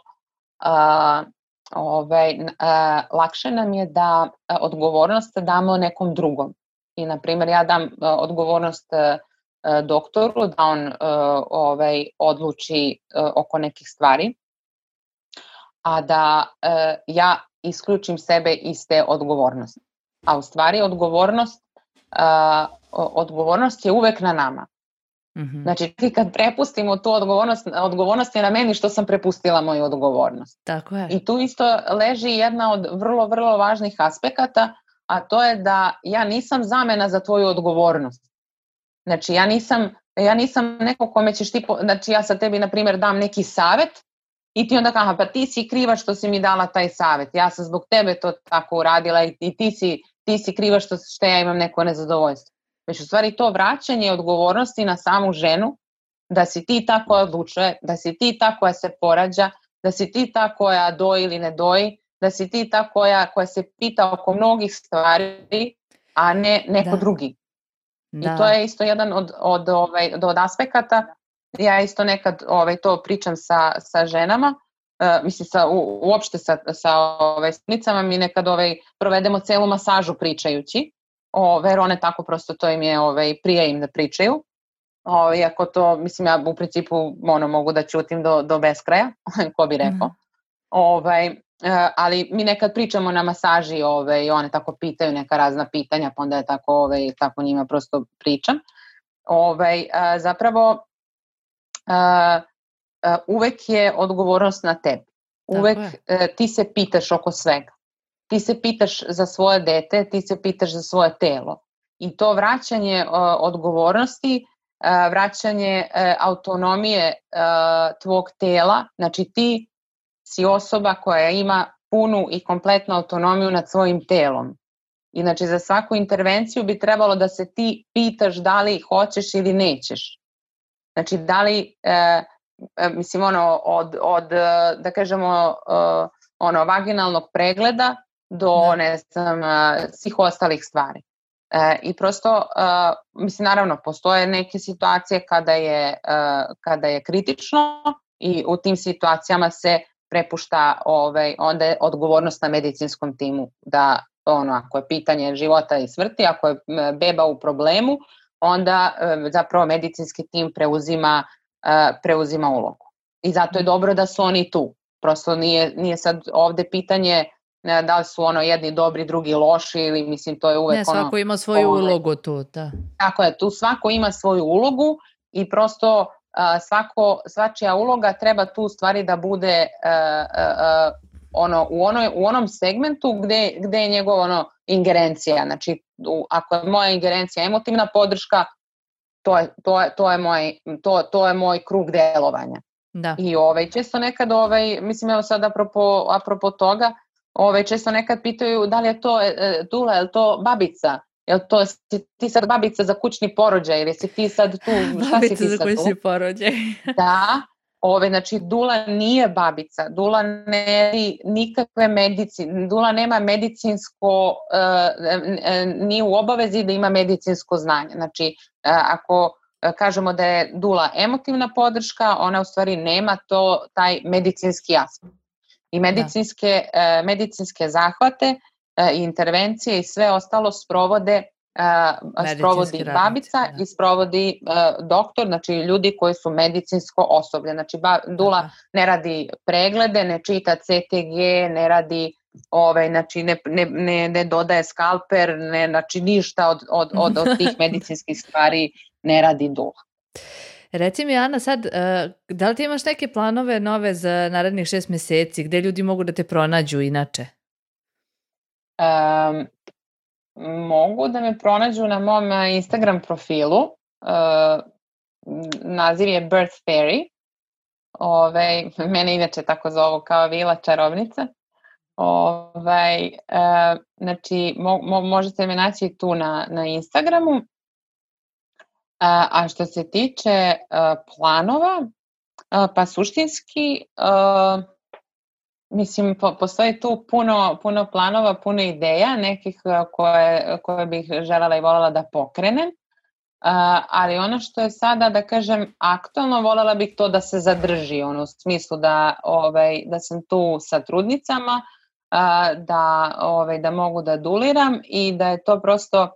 uh, ovaj, uh, lakše nam je da uh, odgovornost damo nekom drugom. I, na primjer, ja dam uh, odgovornost uh, doktoru da on uh, ovaj, odluči uh, oko nekih stvari, a da uh, ja isključim sebe iz te odgovornosti. A u stvari odgovornost, uh, odgovornost je uvek na nama. Mhm. Znači, ti kad prepustimo tu odgovornost, odgovornost je na meni što sam prepustila moju odgovornost. Tako je. I tu isto leži jedna od vrlo, vrlo važnih aspekata, a to je da ja nisam zamena za tvoju odgovornost. Znači, ja nisam, ja nisam neko kome ćeš ti, po, znači ja sa tebi, na primjer, dam neki savet i ti onda kaže, aha, pa ti si kriva što si mi dala taj savet, ja sam zbog tebe to tako uradila i, i ti, si, ti si kriva što, što ja imam neko nezadovoljstvo. Već u stvari to vraćanje odgovornosti na samu ženu, da si ti ta koja odlučuje, da si ti ta koja se porađa, da si ti ta koja doji ili ne doji, da si ti ta koja, koja se pita oko mnogih stvari, a ne neko Da. drugi. Da. I to je isto jedan od, od, ovaj, od aspekata. Ja isto nekad ovaj, to pričam sa, sa ženama, uh, mislim sa, u, uopšte sa, sa ovaj, snicama, mi nekad ovaj, provedemo celu masažu pričajući, Ove, jer one tako prosto to im je ovaj, prije im da pričaju. Ove, iako to, mislim, ja u principu ono, mogu da ćutim do, do beskraja, ko bi rekao. Ovaj, ali mi nekad pričamo na masaži ove, i one tako pitaju neka razna pitanja, pa onda je tako, ove, tako njima prosto pričam. Ove, a, zapravo, a, a, uvek je odgovornost na tebi. Uvek a, ti se pitaš oko svega. Ti se pitaš za svoje dete, ti se pitaš za svoje telo. I to vraćanje uh, odgovornosti, uh, vraćanje uh, autonomije uh, tvog tela, znači ti si osoba koja ima punu i kompletnu autonomiju nad svojim telom. I znači za svaku intervenciju bi trebalo da se ti pitaš da li hoćeš ili nećeš. Znači da li, uh, mislim ono, od, od uh, da kažemo, uh, ono, vaginalnog pregleda, do, ne znam, svih ostalih stvari. E, I prosto, uh, mislim, naravno, postoje neke situacije kada je, uh, kada je kritično i u tim situacijama se prepušta ovaj, onda je odgovornost na medicinskom timu da, ono, ako je pitanje života i smrti, ako je beba u problemu, onda uh, zapravo medicinski tim preuzima, uh, preuzima ulogu. I zato je dobro da su oni tu. Prosto nije, nije sad ovde pitanje da li su ono jedni dobri, drugi loši ili mislim to je uvek ne, svako ono... svako ima svoju ovaj, ulogu tu, da. Tako je, tu svako ima svoju ulogu i prosto uh, svako, svačija uloga treba tu stvari da bude uh, uh, ono, u, onoj, u onom segmentu gde, gde je njegova ono, ingerencija. Znači, u, ako je moja ingerencija emotivna podrška, to je, to je, to je, moj, to, to je moj krug delovanja. Da. I ovaj, često nekad, ovaj, mislim evo sad apropo, apropo toga, Ove, često nekad pitaju da li je to e, dula, je li to babica, je li to si ti sad babica za kućni porođaj ili si ti sad tu, šta si ti sad tu? Babica za kućni porođaj. Da, ove, znači dula nije babica, dula ne nikakve medicine, dula nema medicinsko, e, e, nije u obavezi da ima medicinsko znanje. Znači, e, ako kažemo da je dula emotivna podrška, ona u stvari nema to, taj medicinski aspekt. I medicinske, uh, medicinske zahvate uh, i intervencije i sve ostalo sprovode, uh, sprovodi babica radnici, i sprovodi uh, doktor, znači ljudi koji su medicinsko osoblje. Znači ba, dula Aha. ne radi preglede, ne čita C T G, ne radi ovaj, znači ne, ne, ne, ne dodaje skalper, ne, znači ništa od, od, od, od tih medicinskih stvari ne radi dula. Reci mi, Ana, sad, da li ti imaš neke planove nove za narednih šest meseci, gde ljudi mogu da te pronađu inače? Um, mogu da me pronađu na mom Instagram profilu. Uh, naziv je Birth Fairy. Ovaj, mene inače tako zovu kao Vila čarovnica. Ovaj, e, znači, mo, mo, možete me naći tu na, na Instagramu. A, a što se tiče a, planova, a, pa suštinski, a, mislim, po, postoji tu puno, puno planova, puno ideja, nekih koje, koje bih želela i voljela da pokrenem. Uh, ali ono što je sada, da kažem, aktualno, voljela bih to da se zadrži, ono, u smislu da, ovaj, da sam tu sa trudnicama, uh, da, ovaj, da mogu da duliram i da je to prosto uh,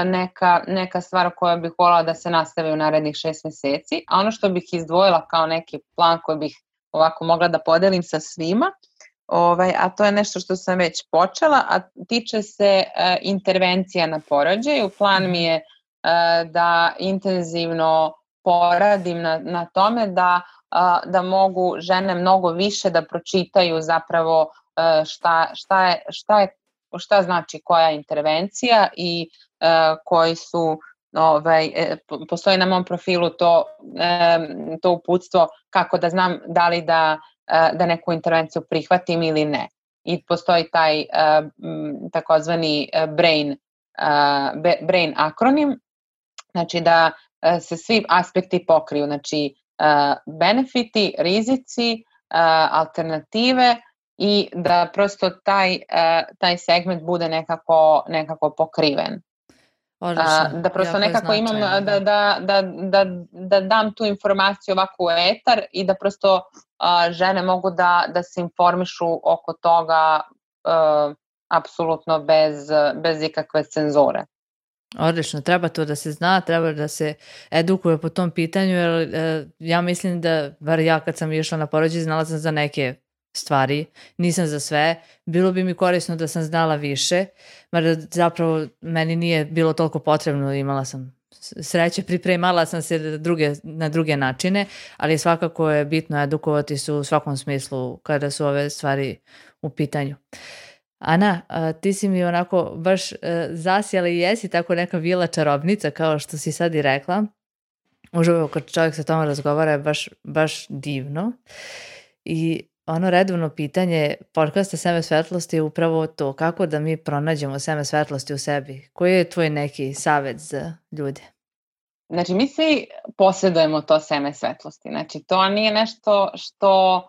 neka, neka stvar koja bih voljela da se nastavi u narednih šest meseci. A ono što bih izdvojila kao neki plan koji bih ovako mogla da podelim sa svima, ovaj, a to je nešto što sam već počela, a tiče se uh, intervencija na porođaju. Plan mi je da intenzivno poradim na, na tome da, da mogu žene mnogo više da pročitaju zapravo šta, šta, je, šta, je, šta znači koja intervencija i koji su, ovaj, postoji na mom profilu to, to uputstvo kako da znam da li da, da neku intervenciju prihvatim ili ne. I postoji taj takozvani brain, brain akronim, znači da uh, se svi aspekti pokriju, znači uh, benefiti, rizici, uh, alternative i da prosto taj, uh, taj segment bude nekako, nekako pokriven. Uh, da prosto nekako imam da, da, da, da, da, da dam tu informaciju ovako u etar i da prosto uh, žene mogu da, da se informišu oko toga uh, apsolutno bez, bez ikakve cenzure. Odlično, treba to da se zna, treba da se edukuje po tom pitanju, jer e, ja mislim da, bar ja kad sam išla na porođaj, znala sam za neke stvari, nisam za sve, bilo bi mi korisno da sam znala više, mada zapravo meni nije bilo toliko potrebno, imala sam sreće, pripremala sam se druge, na druge načine, ali svakako je bitno edukovati se u svakom smislu kada su ove stvari u pitanju. Ana, ti si mi onako baš zasjela i jesi tako neka vila čarobnica kao što si sad i rekla. Uživo kad čovjek sa tom razgovara je baš, baš divno. I ono redovno pitanje podcasta Seme svetlosti je upravo to, kako da mi pronađemo seme svetlosti u sebi. Koji je tvoj neki savjet za ljude? Znači, mi svi posjedujemo to seme svetlosti. Znači, to nije nešto što...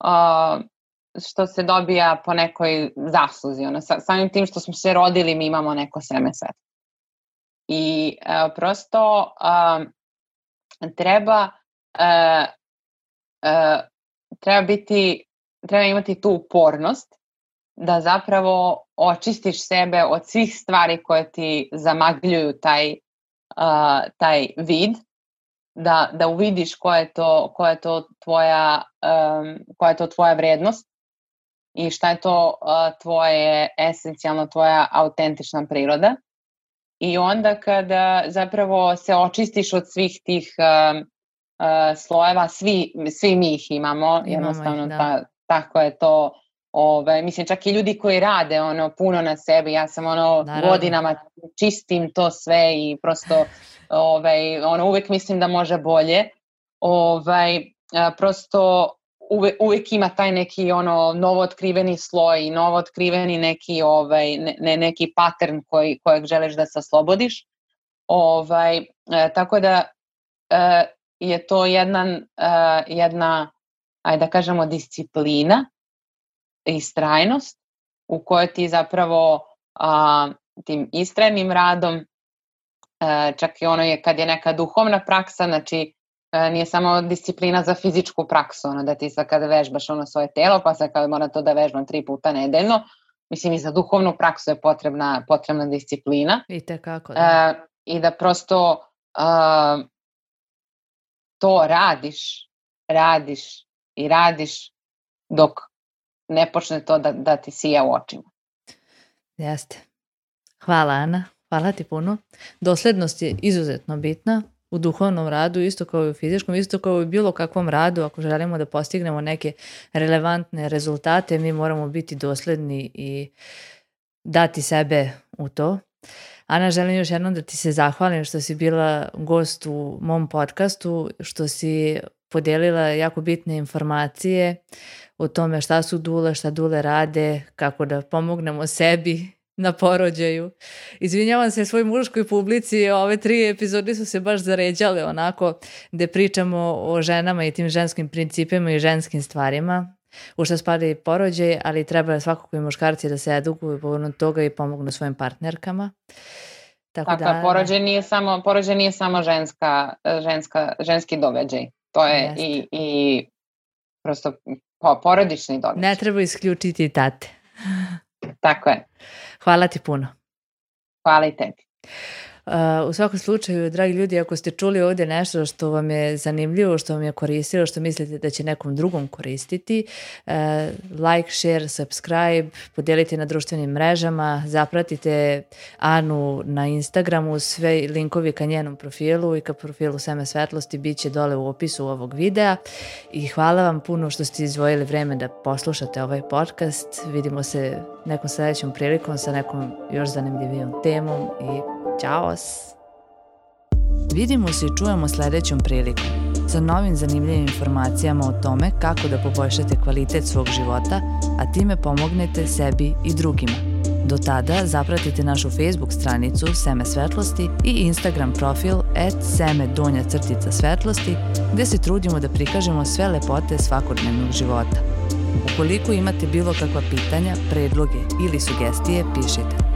Uh, što se dobija po nekoj zasluzi. Ono, samim tim što smo se rodili, mi imamo neko seme svetlosti. I uh, prosto uh, treba uh, uh, treba biti, treba imati tu upornost da zapravo očistiš sebe od svih stvari koje ti zamagljuju taj, uh, taj vid, da, da uvidiš koja je to, koja je to tvoja, um, koja je to tvoja vrednost i šta je to uh, tvoje, esencijalno tvoja autentična priroda. I onda kada zapravo se očistiš od svih tih uh, uh, slojeva, svi, svi mi ih imamo, imamo jednostavno ih, da. ta, tako je to. Ove, mislim, čak i ljudi koji rade ono puno na sebi, ja sam ono Naravno. godinama čistim to sve i prosto ove, ono, uvek mislim da može bolje. Ove, prosto uvek, uvek ima taj neki ono novo otkriveni sloj, novo otkriveni neki, ovaj, ne, neki pattern koji, kojeg želiš da se oslobodiš. Ovaj, e, tako da e, je to jedan, e, jedna, ajde da kažemo, disciplina i istrajnost u kojoj ti zapravo a, tim istrajnim radom, a, čak i ono je kad je neka duhovna praksa, znači a, nije samo disciplina za fizičku praksu, ono da ti sad kada vežbaš ono svoje telo, pa sad kada mora to da vežbam tri puta nedeljno, mislim i za duhovnu praksu je potrebna, potrebna disciplina. I tekako, da. A, I da prosto a, to radiš, radiš i radiš dok ne počne to da, da ti sija u očima. Jeste. Hvala, Ana. Hvala ti puno. Doslednost je izuzetno bitna u duhovnom radu, isto kao i u fizičkom, isto kao i u bilo kakvom radu. Ako želimo da postignemo neke relevantne rezultate, mi moramo biti dosledni i dati sebe u to. Ana, želim još jednom da ti se zahvalim što si bila gost u mom podcastu, što si podijelila jako bitne informacije o tome šta su dule, šta dule rade, kako da pomognemo sebi na porođaju. Izvinjavam se svoj muškoj publici, ove tri epizode su se baš zaređale onako gde pričamo o ženama i tim ženskim principima i ženskim stvarima, u što spada i porođaj, ali treba svakako i muškarci da se edukuju povodom toga i pomognu svojim partnerkama. Tako, Tako da, porođaj nije samo, porođaj nije samo ženska, ženska, ženski događaj. To je i, i prosto po, porodični događaj. Ne treba isključiti tate. Tako je. Hvala ti puno. Hvala i tebi. Uh, u svakom slučaju, dragi ljudi, ako ste čuli ovdje nešto što vam je zanimljivo, što vam je koristilo, što mislite da će nekom drugom koristiti, uh, like, share, subscribe, podijelite na društvenim mrežama, zapratite Anu na Instagramu, sve linkovi ka njenom profilu i ka profilu Seme svetlosti bit će dole u opisu ovog videa i hvala vam puno što ste izdvojili vreme da poslušate ovaj podcast. Vidimo se nekom sljedećom prilikom sa nekom još zanimljivijom temom i ćao! Vidimo se i čujemo sljedećom prilikom sa novim zanimljivim informacijama o tome kako da poboljšate kvalitet svog života, a time pomognete sebi i drugima. Do tada zapratite našu Facebook stranicu Seme svetlosti i Instagram profil at seme donja crtica svetlosti gdje se trudimo da prikažemo sve lepote svakodnevnog života. Ukoliko imate bilo kakva pitanja, predloge ili sugestije, pišite.